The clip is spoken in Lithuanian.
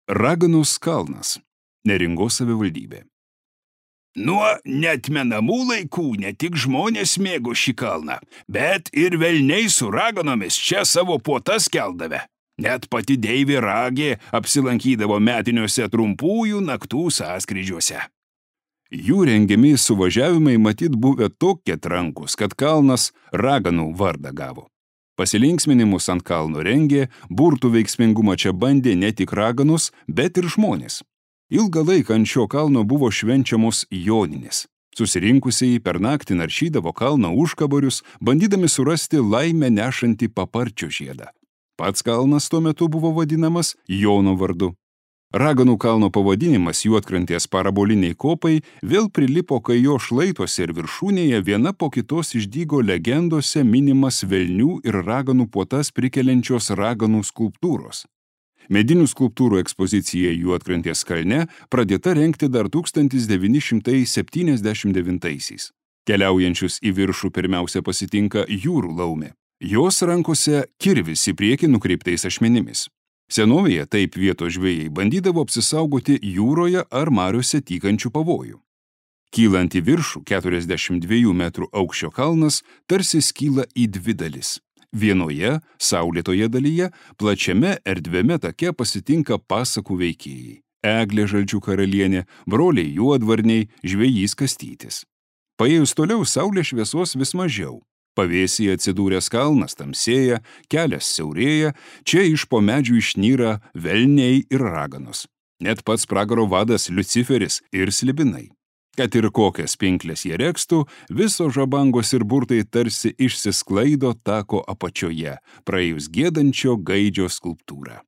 Raganos kalnas. Neringos savivaldybė. Nuo neatmenamų laikų ne tik žmonės mėgo šį kalną, bet ir velniai su raganomis čia savo puotas keldavę. Net pati deivė Ragė apsilankydavo metiniuose trumpųjų naktų sąskrydžiuose. Jų rengiami suvažiavimai matyt buvę tokie trankus, kad kalnas raganų vardą gavo. Pasilinksminimus ant kalno rengė, burtų veiksmingumą čia bandė ne tik raganus, bet ir žmonės. Ilgą laiką ant šio kalno buvo švenčiamos joninės. Susirinkusieji per naktį naršydavo kalno užkaborius, bandydami surasti laimę nešantį paparčio žiedą. Pats kalnas tuo metu buvo vadinamas Jono vardu. Raganų kalno pavadinimas Juodkrantės paraboliniai kopai vėl prilipo, kai jo šlaituose ir viršūnėje viena po kitos išdygo legendose minimas velnių ir raganų puotas prikeliančios raganų skulptūros. Medinių skulptūrų ekspozicija Juodkrantės kalne pradėta rengti dar 1979-aisiais. Keliaujančius į viršų pirmiausia pasitinka jūrų laumė. Jos rankose kirvis į priekį nukreiptais ašmenimis. Senovėje taip vietos žvejai bandydavo apsisaugoti jūroje ar mariose tykančių pavojų. Kylant į viršų 42 metrų aukščio kalnas tarsi skyla į dvi dalis. Vienoje, saulėtoje dalyje, plačiame erdviame take pasitinka pasakų veikėjai. Eglė Žalčių karalienė, broliai Juodvarniai, žvejys Kastytis. Paėjus toliau saulės šviesos vis mažiau. Pavėsyje atsidūręs kalnas tamsėja, kelias siaurėja, čia iš po medžių išnyra velniai ir raganos. Net pats pragaro vadas Liuciferis ir slibinai. Kad ir kokias pinklės jie rekstų, visos žabangos ir burtai tarsi išsisklaido tako apačioje, praėjus giedančio gaidžio skulptūrą.